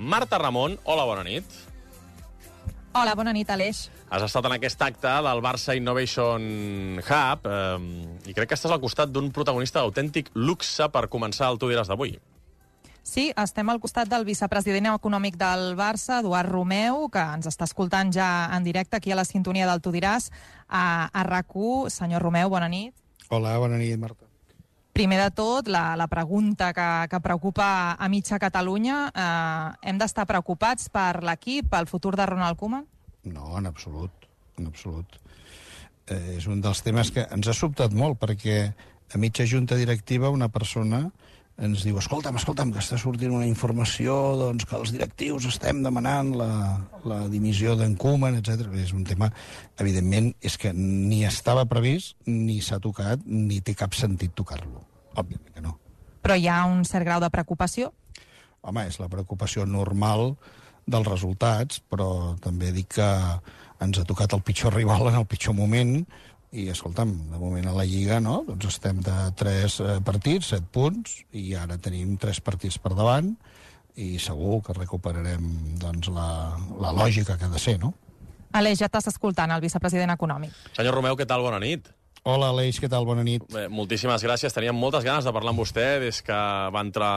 Marta Ramon, hola, bona nit. Hola, bona nit, Aleix. Has estat en aquest acte del Barça Innovation Hub i crec que estàs al costat d'un protagonista d'autèntic luxe per començar el Tu diràs d'avui. Sí, estem al costat del vicepresident econòmic del Barça, Eduard Romeu, que ens està escoltant ja en directe aquí a la sintonia del Tu diràs a RAC1. Senyor Romeu, bona nit. Hola, bona nit, Marta. Primer de tot, la pregunta que preocupa a mitja Catalunya. Hem d'estar preocupats per l'equip, pel futur de Ronald Koeman? No, en absolut, en absolut. És un dels temes que ens ha sobtat molt, perquè a mitja junta directiva una persona ens diu escolta'm, que està sortint una informació doncs, que els directius estem demanant la dimissió d'en Koeman, etc. És un tema, evidentment, és que ni estava previst, ni s'ha tocat, ni té cap sentit tocar-lo. Òbviament que no. Però hi ha un cert grau de preocupació? Home, és la preocupació normal dels resultats, però també dic que ens ha tocat el pitjor rival en el pitjor moment, i, escolta'm, de moment a la Lliga, no? Doncs estem de 3 partits, 7 punts, i ara tenim 3 partits per davant, i segur que recuperarem doncs, la lògica que ha de ser, no? Aleix, ja t'estàs escoltant, el vicepresident econòmic. Senyor Romeu, què tal? Bona nit. Hola, Aleix, què tal? Bona nit. Bé, moltíssimes gràcies. Teníem moltes ganes de parlar amb vostè des que va entrar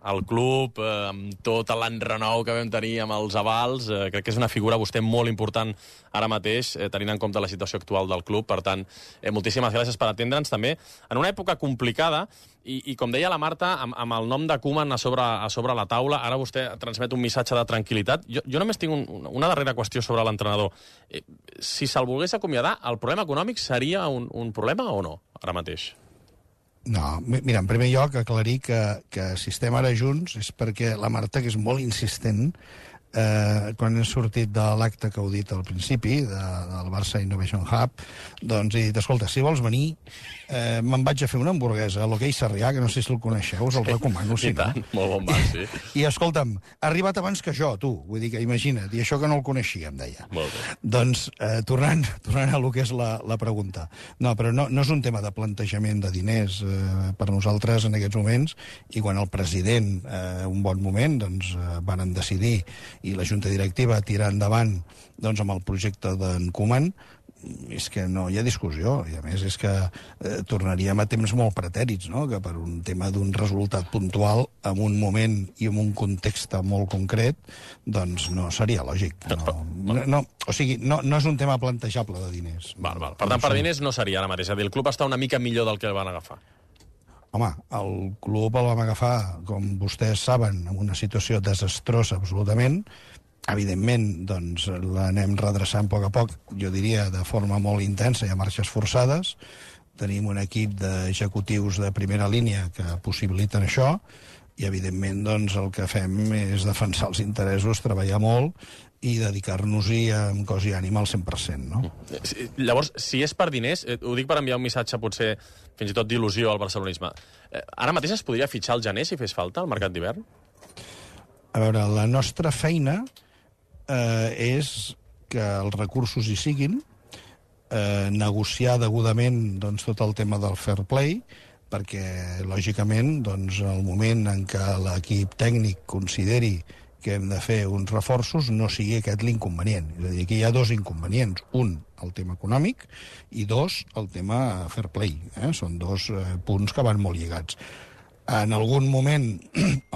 al club, amb tot l'enrenou que vam tenir amb els avals. Crec que és una figura vostè molt important ara mateix, tenint en compte la situació actual del club. Per tant, moltíssimes gràcies per atendre'ns també en una època complicada i com deia la Marta, amb el nom de Koeman a sobre la taula, ara vostè transmet un missatge de tranquil·litat. Jo només tinc una darrera qüestió sobre l'entrenador. Si se'l volgués acomiadar, el problema econòmic seria un problema o no, ara mateix? No, mira, en primer lloc, aclarir que si estem ara junts és perquè la Marta, que és molt insistent, quan he sortit de l'acte que heu dit al principi, del Barça Innovation Hub, doncs he dit, escolta, si vols venir, me'n vaig a fer una hamburguesa a l'Hoquei Sarrià, que no sé si el coneixeu, us el recomano, si no. Molt bon bar, sí. I escolta'm, ha arribat abans que jo, tu, vull dir que imagina't, i això que no el coneixia, em deia. Molt bé. Doncs, tornant a lo que és la pregunta. No, però no és un tema de plantejament de diners per nosaltres en aquests moments, i quan el president, un bon moment, doncs, varen decidir i la junta directiva tirar endavant doncs, amb el projecte d'en Koeman, és que no hi ha discussió, i a més és que tornaríem a temps molt pretèrits, no? Que per un tema d'un resultat puntual, en un moment i en un context molt concret, doncs no seria lògic. O sigui, no és un tema plantejable de diners. Val. Per tant, per diners no seria ara mateix. És a dir, el club està una mica millor del que el van agafar. Home, el club el vam agafar, com vostès saben, en una situació desastrosa absolutament. Evidentment, doncs, l'anem redreçant a poc, jo diria, de forma molt intensa i a marxes forçades. Tenim un equip d'executius de primera línia que possibiliten això, i, evidentment, doncs, el que fem és defensar els interessos, treballar molt i dedicar-nos-hi amb cos i ànima al 100%, no? Llavors, si és per diners, ho dic per enviar un missatge potser fins i tot d'il·lusió al barcelonisme, ara mateix es podria fitxar al gener si fes falta al mercat d'hivern? A veure, la nostra feina és que els recursos hi siguin, negociar degudament doncs, tot el tema del fair play, perquè, lògicament, doncs, el moment en què l'equip tècnic consideri que hem de fer uns reforços no sigui aquest l'inconvenient. És a dir, aquí hi ha 2 inconvenients. Un, el tema econòmic, i 2, el tema fair play. Són 2 punts que van molt lligats. En algun moment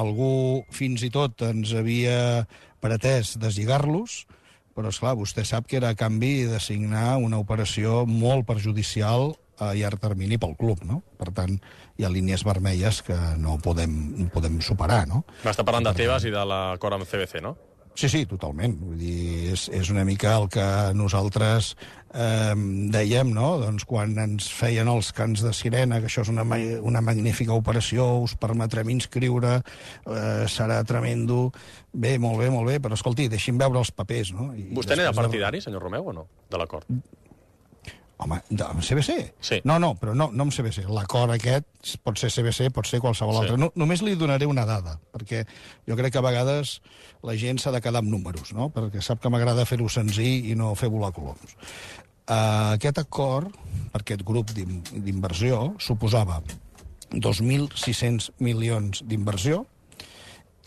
algú fins i tot ens havia pretès deslligar-los, però, esclar, vostè sap que era a canvi de signar una operació molt perjudicial a llarg termini pel club, no? Per tant, hi ha línies vermelles que no podem superar, no? M'està parlant de Tebas i de l'acord amb CBC, no? Sí, totalment. Vull dir, és una mica el que nosaltres dèiem, no? Doncs quan ens feien els cants de sirena, que això és una magnífica operació, us permetrem inscriure, serà tremendo. Bé, molt bé, però escolti, deixi'm veure els papers, no? Vostè n'era partidari, senyor Romeu, o no, de l'acord? Home, amb CBC? Sí. No, però no amb CBC. L'acord aquest pot ser CBC, pot ser qualsevol altre. No, només li donaré una dada, perquè jo crec que a vegades la gent s'ha de quedar amb números, no? Perquè sap que m'agrada fer-ho senzill i no fer volar coloms. Aquest acord, per aquest grup d'inversió, suposava 2.600 milions d'inversió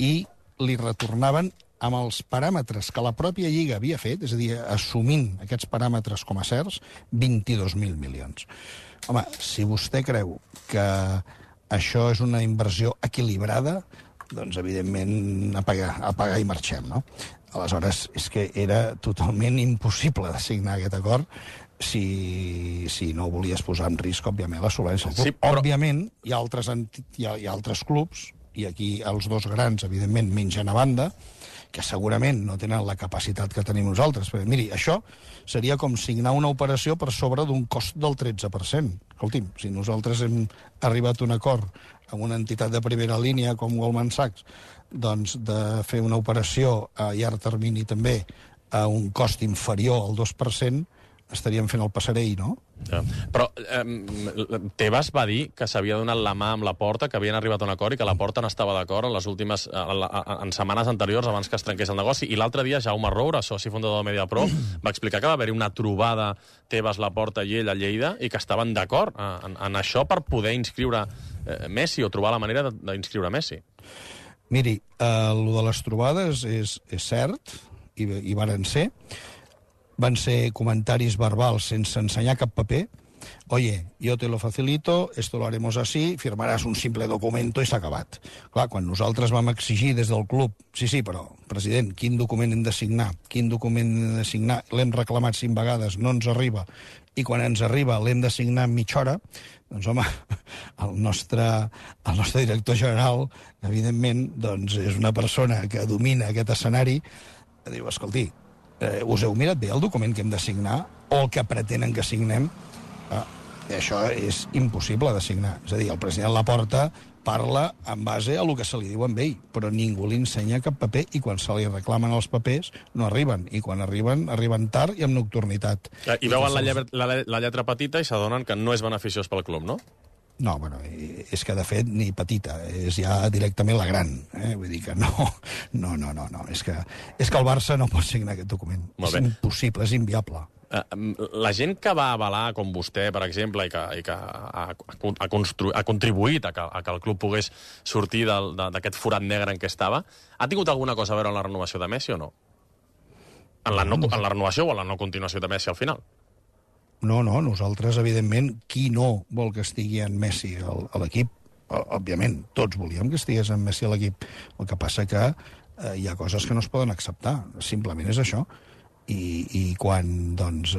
i li retornaven amb els paràmetres que la pròpia Lliga havia fet, és a dir, assumint aquests paràmetres com a certs, 22.000 milions. Home, si vostè creu que això és una inversió equilibrada, doncs, evidentment, apagar i marxem, no? Aleshores, és que era totalment impossible de signar aquest acord si no volies posar en risc, òbviament, la solvència del club. Sí, però... Òbviament, hi ha altres clubs, i aquí els dos grans, evidentment, mengen a banda, que segurament no tenen la capacitat que tenim nosaltres. Perquè, miri, això seria com signar una operació per sobre d'un cost del 13%. Escolti'm, si nosaltres hem arribat a un acord amb una entitat de primera línia com Goldman Sachs, doncs de fer una operació a llarg termini també a un cost inferior al 2%, estaríem fent el passarell, no? Ja. Però Tebas va dir que s'havia donat la mà amb la Porta, que havien arribat a un acord i que la Porta no estava d'acord en setmanes anteriors abans que es trenqués el negoci. I l'altre dia Jaume Roura, soci fundador de Mediapro, va explicar que va haver-hi una trobada Tebas, la Porta i ell a Lleida i que estaven d'acord en això per poder inscriure Messi o trobar la manera d'inscriure Messi. Miri, el de les trobades és cert, i varen ser. Van ser comentaris verbals sense ensenyar cap paper. Oye, yo te lo facilito, esto lo haremos así, firmaràs un simple documento i s'ha acabat. Clar, quan nosaltres vam exigir des del club, sí, però, president, quin document hem de signar? Quin document hem de signar? L'hem reclamat 5 vegades, no ens arriba. I quan ens arriba l'hem de signar en mitja hora, doncs, home, el nostre director general, evidentment, doncs, és una persona que domina aquest escenari, que diu, escolti, us heu mirat bé el document que hem de signar o el que pretenen que signem? Això és impossible de signar. És a dir, el president Laporta parla en base a el que se li diu a ell, però ningú li ensenya cap paper i quan se li reclamen els papers no arriben. I quan arriben tard i amb nocturnitat. I veuen la lletra petita i s'adonen que no és beneficiós pel club, no? No, bueno, és que de fet ni petita, és ja directament la gran. Vull dir que no. És que el Barça no pot signar aquest document. És impossible, és inviable. La gent que va avalar, com vostè, per exemple, i que ha contribuït a que el club pogués sortir d'aquest forat negre en què estava, ha tingut alguna cosa a veure amb la renovació de Messi o no? En la renovació o en la no continuació de Messi al final? No, nosaltres, evidentment, qui no vol que estigui en Messi a l'equip? Òbviament, tots volíem que estigués en Messi a l'equip. El que passa que hi ha coses que no es poden acceptar. Simplement és això. I quan, doncs,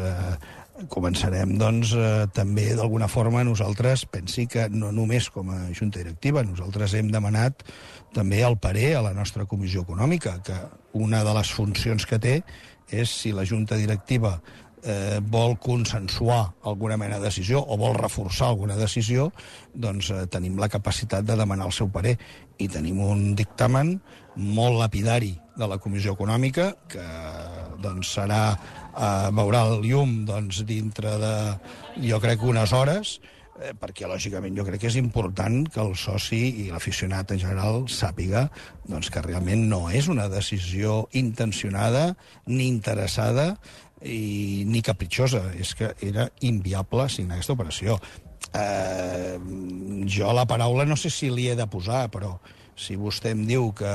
començarem, doncs, també, d'alguna forma, nosaltres pensi que no només com a junta directiva, nosaltres hem demanat també el parer a la nostra comissió econòmica, que una de les funcions que té és si la junta directiva vol consensuar alguna mena de decisió o vol reforçar alguna decisió, doncs tenim la capacitat de demanar el seu parer. I tenim un dictamen molt lapidari de la Comissió Econòmica que doncs, veurà el llum doncs, dintre de, jo crec, unes hores, perquè, lògicament, jo crec que és important que el soci i l'aficionat en general sàpiga doncs, que realment no és una decisió intencionada ni interessada ni capritxosa. És que era inviable signar aquesta operació. Jo la paraula no sé si li he de posar, però si vostè em diu que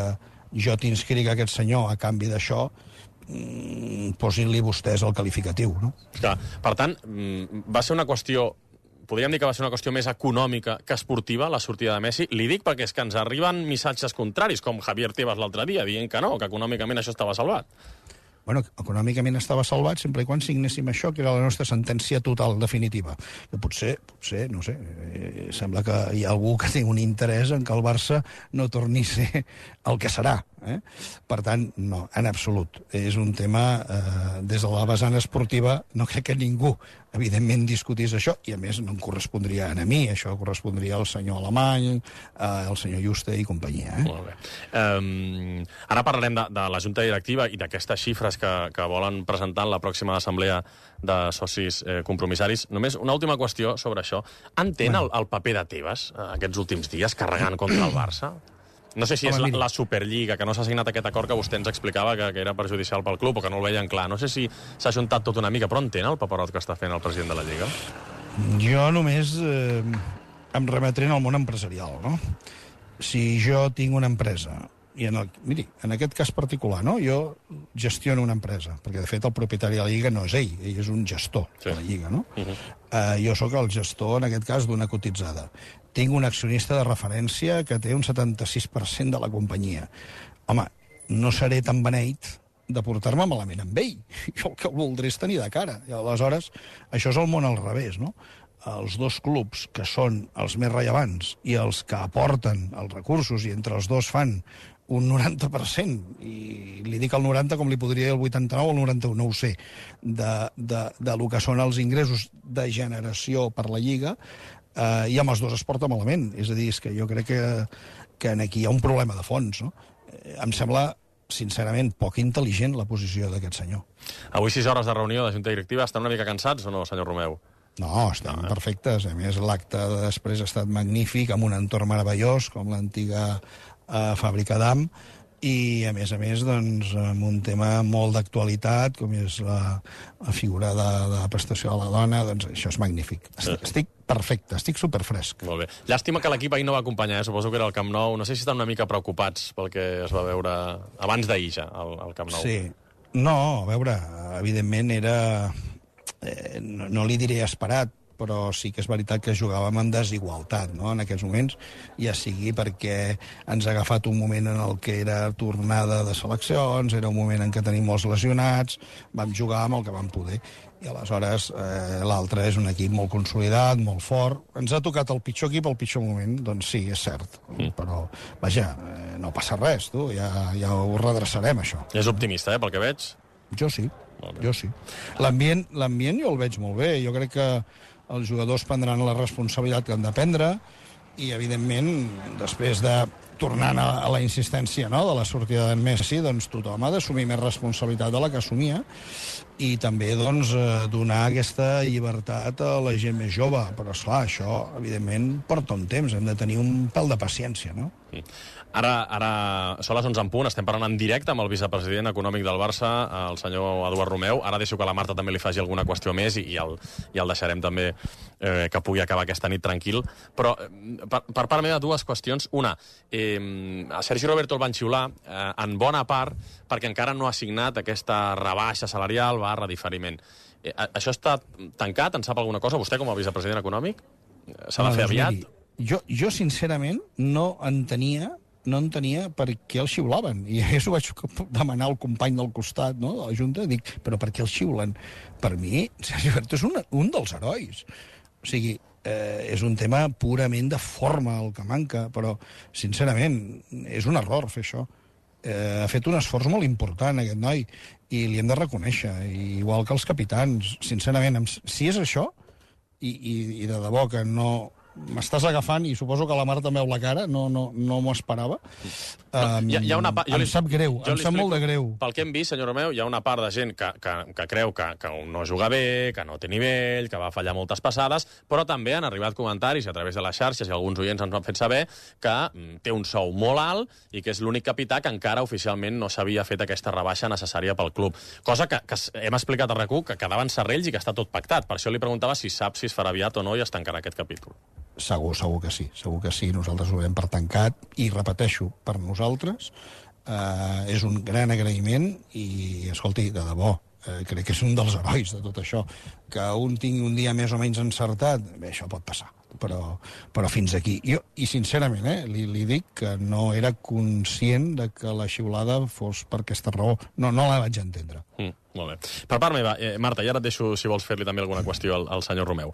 jo t'inscric a aquest senyor a canvi d'això, posin-li vostès el qualificatiu, no? Clar, per tant, va ser una qüestió, podríem dir que va ser una qüestió més econòmica que esportiva, la sortida de Messi. Li dic perquè és que ens arriben missatges contraris, com Javier Tebas l'altre dia, dient que no, que econòmicament això estava salvat. Bueno, econòmicament estava salvat sempre i quan signéssim això, que era la nostra sentència total, definitiva. Que potser, no sé, sembla que hi ha algú que té un interès en que el Barça no torni a ser el que serà. Per tant, no, en absolut. És un tema, des de la vessant esportiva, no crec que ningú, evidentment, discutís això, i a més no em correspondria a mi, això correspondria al senyor Alemany, al senyor Juste i companyia. Molt bé. Ara parlarem de la Junta Directiva i d'aquestes xifres que volen presentar en la pròxima assemblea de socis compromissaris. Només una última qüestió sobre això. Entén el paper de Tebas aquests últims dies carregant contra el Barça? No sé si és la Superliga, que no s'ha signat aquest acord que vostè ens explicava que era perjudicial pel club o que no el veien clar. No sé si s'ha ajuntat tot una mica, però entén el paperot que està fent el president de la Lliga? Jo només em remetré al món empresarial, no? Si jo tinc una empresa miri, en aquest cas particular, no? Jo gestiono una empresa, perquè de fet el propietari de la Lliga no és ell és un gestor de la Lliga, no? Jo sóc el gestor, en aquest cas, d'una cotitzada. Tinc un accionista de referència que té un 76% de la companyia. Home, no seré tan beneit de portar-me malament amb ell. Jo el que voldré és tenir de cara. I aleshores, això és el món al revés, no? Els dos clubs que són els més rellevants i els que aporten els recursos i entre els dos fan un 90%, i li dic el 90 com li podria dir el 89 o el 91, no ho sé, de lo que són els ingressos de generació per la Lliga, i amb els dos es porta malament. És a dir, és que jo crec que aquí hi ha un problema de fons, no? Em sembla sincerament, poc intel·ligent la posició d'aquest senyor. Avui 6 hores de reunió de Junta Directiva. Estan una mica cansats o no, senyor Romeu? No, estan perfectes. A més, l'acte de després ha estat magnífic, amb un entorn meravellós, com l'antiga fàbrica d'Am, i, a més, doncs, amb un tema molt d'actualitat, com és la figura de la prestació de la dona, doncs això és magnífic. Estic perfecte, estic superfresc. Molt bé. Llàstima que l'equip ahir no va acompanyar, suposo que era el Camp Nou. No sé si estan una mica preocupats pel que es va veure abans d'ahir ja, al Camp Nou. Sí. No, a veure, evidentment era... no li diré esperat, però sí que és veritat que jugàvem en desigualtat, no?, en aquests moments, ja sigui perquè ens ha agafat un moment en el que era tornada de seleccions, era un moment en què tenim molts lesionats, vam jugar amb el que vam poder, i aleshores l'altre és un equip molt consolidat, molt fort. Ens ha tocat el pitjor equip al pitjor moment, doncs sí, és cert, però, vaja, no passa res, tu, ja ho redreçarem, això. És optimista, pel que veig? Jo sí. Jo sí. L'ambient jo el veig molt bé. Jo crec que els jugadors prendran la responsabilitat que han de prendre i, evidentment, després de tornant a la insistència, no?, de la sortida d'en Messi, doncs tothom ha d'assumir més responsabilitat de la que assumia i també, doncs, donar aquesta llibertat a la gent més jove. Però, esclar, això, evidentment, porta un temps. Hem de tenir un pèl de paciència, no? Ara són les 11 en punt, estem parlant en directe amb el vicepresident econòmic del Barça, el senyor Eduard Romeu. Ara deixo que la Marta també li faci alguna qüestió més i el deixarem també que pugui acabar aquesta nit tranquil. Però per part meva, dues qüestions. Una, a Sergi Roberto el van xiular en bona part perquè encara no ha signat aquesta rebaixa salarial / diferiment. Això està tancat? En sap alguna cosa? Vostè, com a vicepresident econòmic? S'ha de fer aviat? Jo sincerament, no entenia per què el xiulaven. I això ho vaig demanar al company del costat, no?, de la Junta. Dic, però per què el xiulen? Per mi, Sergi Roberto és un dels herois. O sigui, és un tema purament de forma el que manca, però, sincerament, és un error fer això. Ha fet un esforç molt important, aquest noi, i li hem de reconèixer. Igual que els capitans, sincerament, si és això, i de debò que no... M'estàs agafant, i suposo que la Marta em veu la cara, no m'ho esperava. Em sap greu, em sap molt de greu. Pel que hem vist, senyor Romeu, hi ha una part de gent que creu que no juga bé, que no té nivell, que va fallar moltes passades, però també han arribat comentaris a través de les xarxes, i alguns oients ens han fet saber que té un sou molt alt i que és l'únic capità que encara oficialment no s'havia fet aquesta rebaixa necessària pel club. Cosa que hem explicat a RAC1 que quedaven serrells i que està tot pactat. Per això li preguntava si sap si es farà aviat o no i es tancarà aquest capítol. Segur que sí. Nosaltres ho veiem per tancat i, repeteixo, per nosaltres és un gran agraïment i, escolti, de debò, crec que és un dels herois de tot això. Que un tingui un dia més o menys encertat, bé, això pot passar, però fins aquí. I sincerament, li dic que no era conscient de que la xiulada fos per aquesta raó. No la vaig entendre. Molt bé. Per part meva, Marta, i ara et deixo, si vols fer-li també alguna qüestió al senyor Romeu.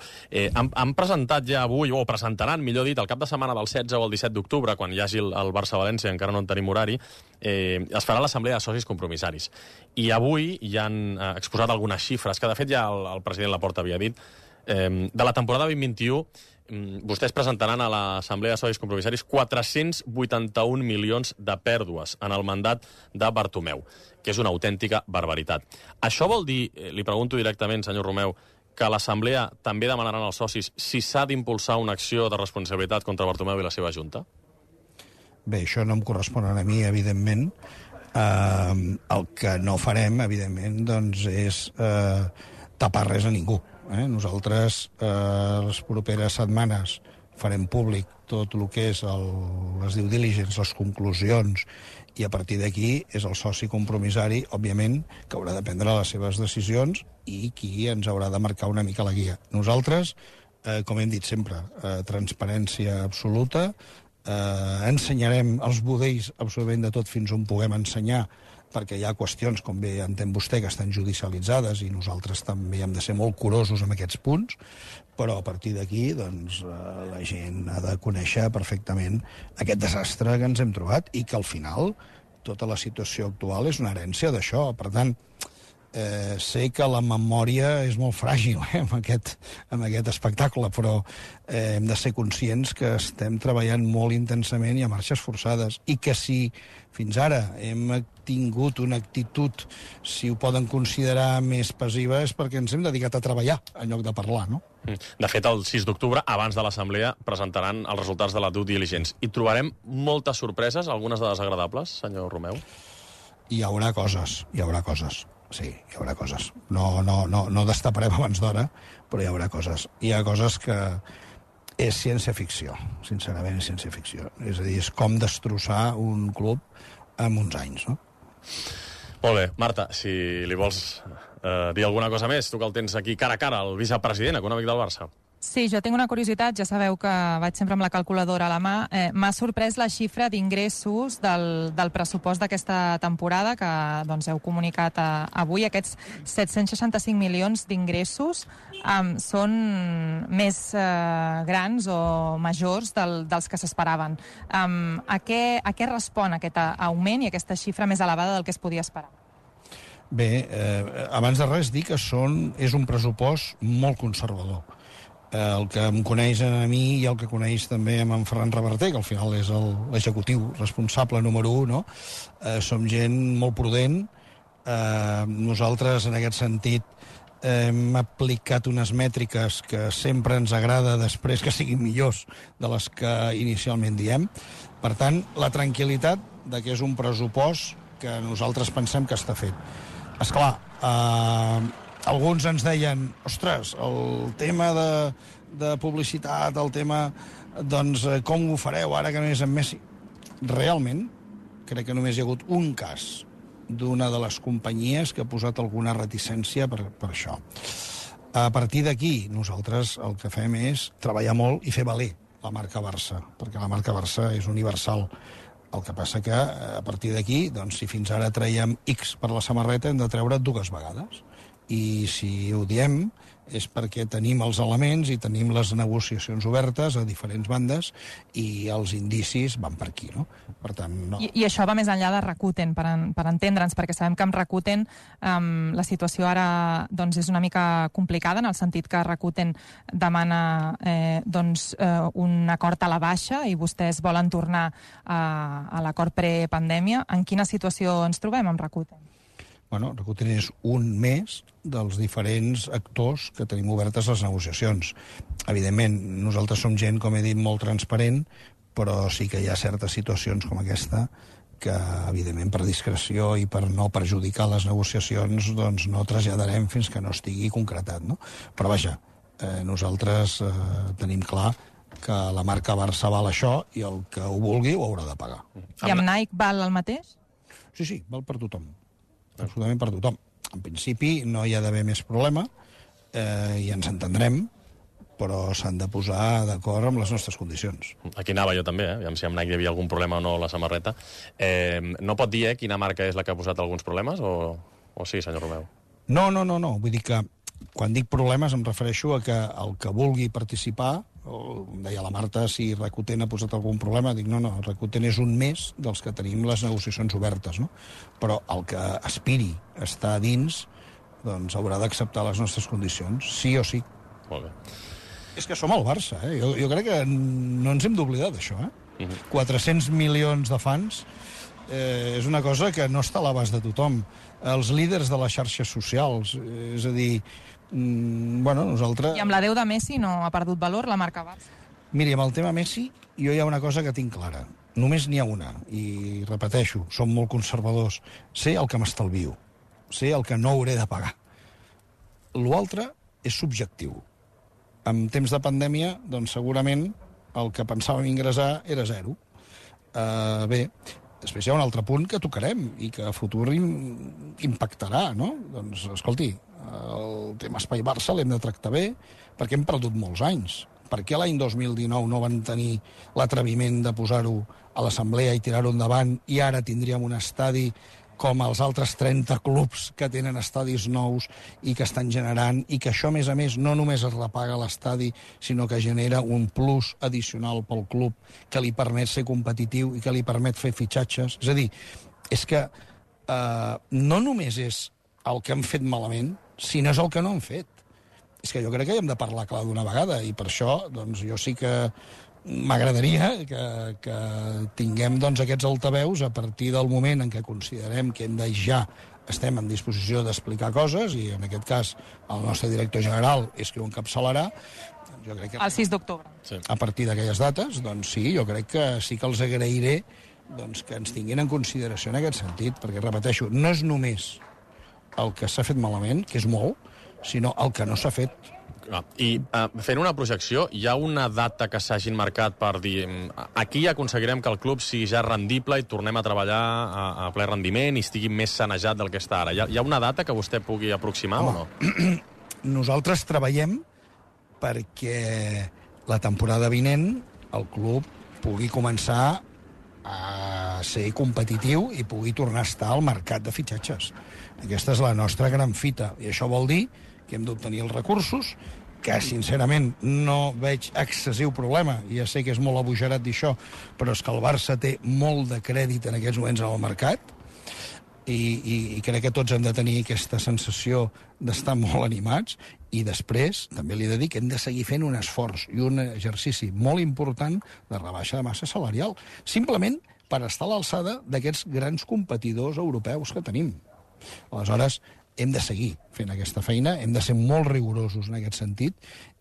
Han presentat ja avui, o presentaran, millor dit, el cap de setmana del 16 o el 17 d'octubre, quan hi hagi el Barça-València, encara no en tenim horari, es farà l'assemblea de socis compromissaris. I avui ja han exposat algunes xifres, que de fet ja el president Laporta havia dit. De la temporada 2021, vostès presentaran a l'Assemblea de Socis Compromissaris 481 milions de pèrdues en el mandat de Bartomeu, que és una autèntica barbaritat. Això vol dir, li pregunto directament, senyor Romeu, que l'Assemblea també demanaran als socis si s'ha d'impulsar una acció de responsabilitat contra Bartomeu i la seva Junta? Bé, això no em correspon a mi, evidentment. El que no farem, evidentment, doncs és tapar res a ningú. Nosaltres, les properes setmanes, farem públic tot el que és les due diligence, les conclusions, i a partir d'aquí és el soci compromissari, òbviament, que haurà de prendre les seves decisions i qui ens haurà de marcar una mica la guia. Nosaltres, com hem dit sempre, transparència absoluta, ensenyarem els budells absolutament de tot fins on puguem ensenyar, perquè hi ha qüestions, com bé entén vostè, que estan judicialitzades i nosaltres també hem de ser molt curosos amb aquests punts, però a partir d'aquí doncs, la gent ha de conèixer perfectament aquest desastre que ens hem trobat i que al final tota la situació actual és una herència d'això. Per tant, sé que la memòria és molt fràgil amb aquest espectacle, però hem de ser conscients que estem treballant molt intensament i a marxes forçades, i que si fins ara hem tingut una actitud, si ho poden considerar més passiva, és perquè ens hem dedicat a treballar en lloc de parlar, no? De fet, el 6 d'octubre, abans de l'Assemblea, presentaran els resultats de la due diligence. I trobarem moltes sorpreses, algunes de desagradables, senyor Romeu? Hi haurà coses. Sí, hi haurà coses. No destaparem abans d'hora, però hi haurà coses. Hi ha coses que és ciència-ficció, sincerament és ciència-ficció. És a dir, és com destrossar un club en uns anys, no? Molt bé. Marta, si li vols dir alguna cosa més, tu que el tens aquí cara a cara, el vicepresident econòmic del Barça. Sí, jo tinc una curiositat, ja sabeu que vaig sempre amb la calculadora a la mà. M'ha sorprès la xifra d'ingressos del pressupost d'aquesta temporada, que doncs, heu comunicat avui. Aquests 765 milions d'ingressos són més grans o majors dels que s'esperaven. A què respon aquest augment i aquesta xifra més elevada del que es podia esperar? Bé, abans de res dir que és un pressupost molt conservador. El que em coneix a mi i el que coneix també amb en Ferran Reverter, que al final és l'executiu responsable número 1, no? Som gent molt prudent. Nosaltres, en aquest sentit, hem aplicat unes mètriques que sempre ens agrada després que siguin millors de les que inicialment diem. Per tant, la tranquil·litat de que és un pressupost que nosaltres pensem que està fet. Esclar, alguns ens deien, ostres, el tema de publicitat, el tema, doncs, com ho fareu ara que no és en Messi? Realment, crec que només hi ha hagut un cas d'una de les companyies que ha posat alguna reticència per això. A partir d'aquí, nosaltres el que fem és treballar molt i fer valer la marca Barça, perquè la marca Barça és universal. El que passa que, a partir d'aquí, doncs, si fins ara traiem X per la samarreta, hem de treure 2 vegades. I si ho diem és perquè tenim els elements i tenim les negociacions obertes a diferents bandes i els indicis van per aquí, no? Per tant, no. I això va més enllà de Rakuten, per entendre'ns, perquè sabem que amb Rakuten la situació ara doncs, és una mica complicada, en el sentit que Rakuten demana un acord a la baixa i vostès volen tornar a l'acord prepandèmia. En quina situació ens trobem amb Rakuten? Bueno, Rakuten és un més dels diferents actors que tenim obertes les negociacions. Evidentment, nosaltres som gent, com he dit, molt transparent, però sí que hi ha certes situacions com aquesta que, evidentment, per discreció i per no perjudicar les negociacions, doncs no traslladarem fins que no estigui concretat, no? Però vaja, nosaltres tenim clar que la marca Barça val això i el que ho vulgui ho haurà de pagar. I amb Nike val el mateix? Sí, val per tothom. Absolutament per tothom. En principi no hi ha d'haver més problema i ens entendrem, però s'han de posar d'acord amb les nostres condicions. Aquí anava jo també, aviam si amb Nike hi havia algun problema o no la samarreta. No pot dir quina marca és la que ha posat alguns problemes o sí, senyor Romeu? No. Vull dir que quan dic problemes em refereixo a que el que vulgui participar, em deia la Marta si Rakuten ha posat algun problema, dic no, Rakuten és un més dels que tenim les negociacions obertes, no? Però el que aspiri a estar dins doncs haurà d'acceptar les nostres condicions, sí o sí. Molt bé. És que som el Barça, jo crec que no ens hem d'oblidar d'això, 400 milions de fans és una cosa que no està a l'abast de tothom. Els líders de les xarxes socials, és a dir, nosaltres... I amb l'adeu de Messi no ha perdut valor la marca Barça? Miri, amb el tema Messi, jo hi ha una cosa que tinc clara. Només n'hi ha una, i repeteixo, som molt conservadors. Sé el que m'estalvio, sé el que no hauré de pagar. L'altre és subjectiu. En temps de pandèmia, doncs segurament el que pensàvem ingressar era 0. Bé, després hi ha un altre punt que tocarem i que a futur impactarà, no? Doncs, escolti, el tema Espai Barça l'hem de tractar bé perquè hem perdut molts anys. Per què l'any 2019 no van tenir l'atreviment de posar-ho a l'assemblea i tirar-ho endavant i ara tindríem un estadi com els altres 30 clubs que tenen estadis nous i que estan generant, i que això, a més, no només es repaga l'estadi, sinó que genera un plus addicional pel club que li permet ser competitiu i que li permet fer fitxatges. És a dir, és que no només és el que han fet malament, sinó és el que no han fet. És que jo crec que hi hem de parlar clar d'una vegada, i per això doncs, jo sí que m'agradaria que tinguem doncs, aquests altaveus a partir del moment en què considerem que ja estem en disposició d'explicar coses, i en aquest cas el nostre director general és qui ho encapçalarà. Jo crec que el 6 d'octubre. Sí. A partir d'aquelles dates, doncs sí, jo crec que sí que els agrairé doncs, que ens tinguin en consideració en aquest sentit, perquè, repeteixo, no és només el que s'ha fet malament, que és molt, sinó el que no s'ha fet. I fent una projecció, hi ha una data que s'hagin marcat per dir aquí aconseguirem que el club sigui ja rendible i tornem a treballar a ple rendiment i estigui més sanejat del que està ara. Hi ha una data que vostè pugui aproximar o no? Nosaltres treballem perquè la temporada vinent el club pugui començar a ser competitiu i pugui tornar a estar al mercat de fitxatges. Aquesta és la nostra gran fita, i això vol dir que hem d'obtenir els recursos, que sincerament no veig excessiu problema, i ja sé que és molt abujarat dir això, però és que el Barça té molt de crèdit en aquests moments en el mercat, i crec que tots hem de tenir aquesta sensació d'estar molt animats, i després també li he de dir que hem de seguir fent un esforç i un exercici molt important de rebaixa de massa salarial, simplement per estar a l'alçada d'aquests grans competidors europeus que tenim. Aleshores, hem de seguir fent aquesta feina, hem de ser molt rigorosos en aquest sentit,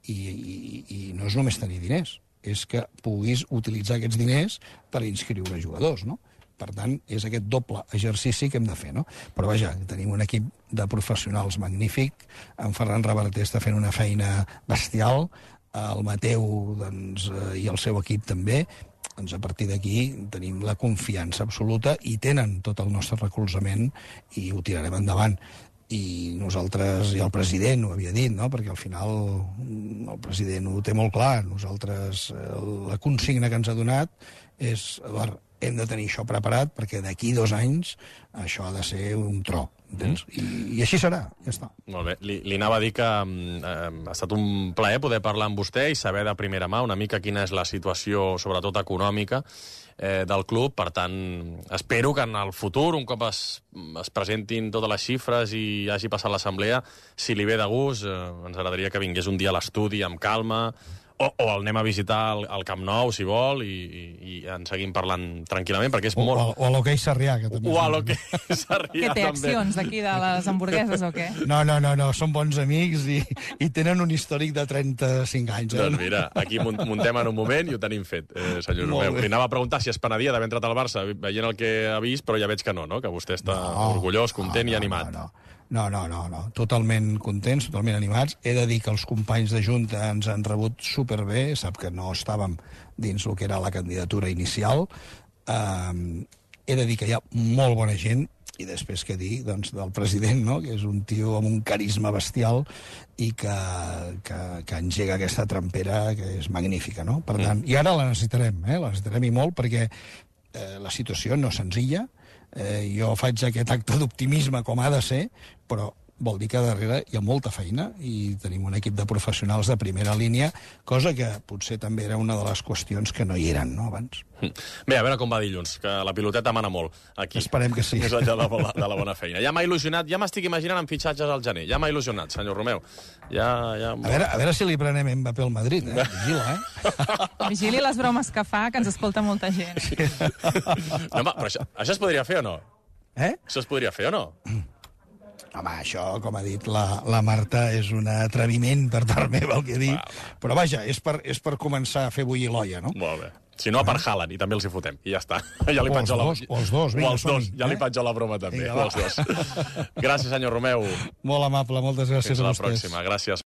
i no és només tenir diners, és que puguis utilitzar aquests diners per inscriure jugadors, no? Per tant, és aquest doble exercici que hem de fer, no? Però vaja, tenim un equip de professionals magnífic, en Ferran Reverter està fent una feina bestial, el Mateu doncs, i el seu equip també. Doncs a partir d'aquí tenim la confiança absoluta i tenen tot el nostre recolzament i ho tirarem endavant. I nosaltres, i el president ho havia dit, no? Perquè al final el president ho té molt clar. Nosaltres, la consigna que ens ha donat és, Eduard, hem de tenir això preparat perquè d'aquí 2 anys això ha de ser un tro, entens? I així serà, ja està. Molt bé. Li anava a dir que ha estat un plaer poder parlar amb vostè i saber de primera mà una mica quina és la situació, sobretot econòmica, del club. Per tant, espero que en el futur, un cop es presentin totes les xifres i hagi passat l'assemblea, si li ve de gust, ens agradaria que vingués un dia a l'estudi amb calma, o el anem a visitar al Camp Nou, si vol, i en seguim parlant tranquil·lament, perquè és molt... O a l'Hoquei Sarrià, que també... O a l'Hoquei Sarrià, també. Què té, accions d'aquí de les hamburgueses o què? No, són bons amics i tenen un històric de 35 anys. Doncs mira, aquí muntem en un moment i ho tenim fet, senyor Romeu. Li anava a preguntar si es penedia d'haver entrat al Barça veient el que ha vist, però ja veig que no, que vostè està orgullós, content i animat. No, totalment contents, totalment animats. He de dir que els companys de Junta ens han rebut superbé, sap que no estàvem dins el que era la candidatura inicial. He de dir que hi ha molt bona gent, i després què dir doncs, del president, no? Que és un tio amb un carisma bestial i que engega aquesta trampera que és magnífica, no? Per tant, i ara la necessitarem, la necessitarem i molt, perquè la situació no és senzilla. Jo faig aquest acte d'optimisme com ha de ser, però vol dir que darrere hi ha molta feina i tenim un equip de professionals de primera línia, cosa que potser també era una de les qüestions que no hi eren, no, abans. Bé, a veure com va dilluns, que la piloteta mana molt aquí. Esperem que sí. Més enllà de la bona feina. Ja m'ha il·lusionat, ja m'estic imaginant amb fitxatges al gener. Ja m'ha il·lusionat, senyor Romeu. A veure si li prenem Mbappé al Madrid, Vigila, Vigili les bromes que fa, que ens escolta molta gent. No, però això es podria fer o no? Això es podria fer o no? Home, això, com ha dit la Marta, és un atreviment per part meva, el que he dit. Però vaja, és per començar a fer bullir l'olla, no? Molt bé. Si no, per Haaland, i també els hi fotem. I ja està. Ja li penjo o els dos, ja li penjo la broma també. Els dos. Gràcies, senyor Romeu. Molt amable, moltes gràcies a vostès. Fins la pròxima. Gràcies.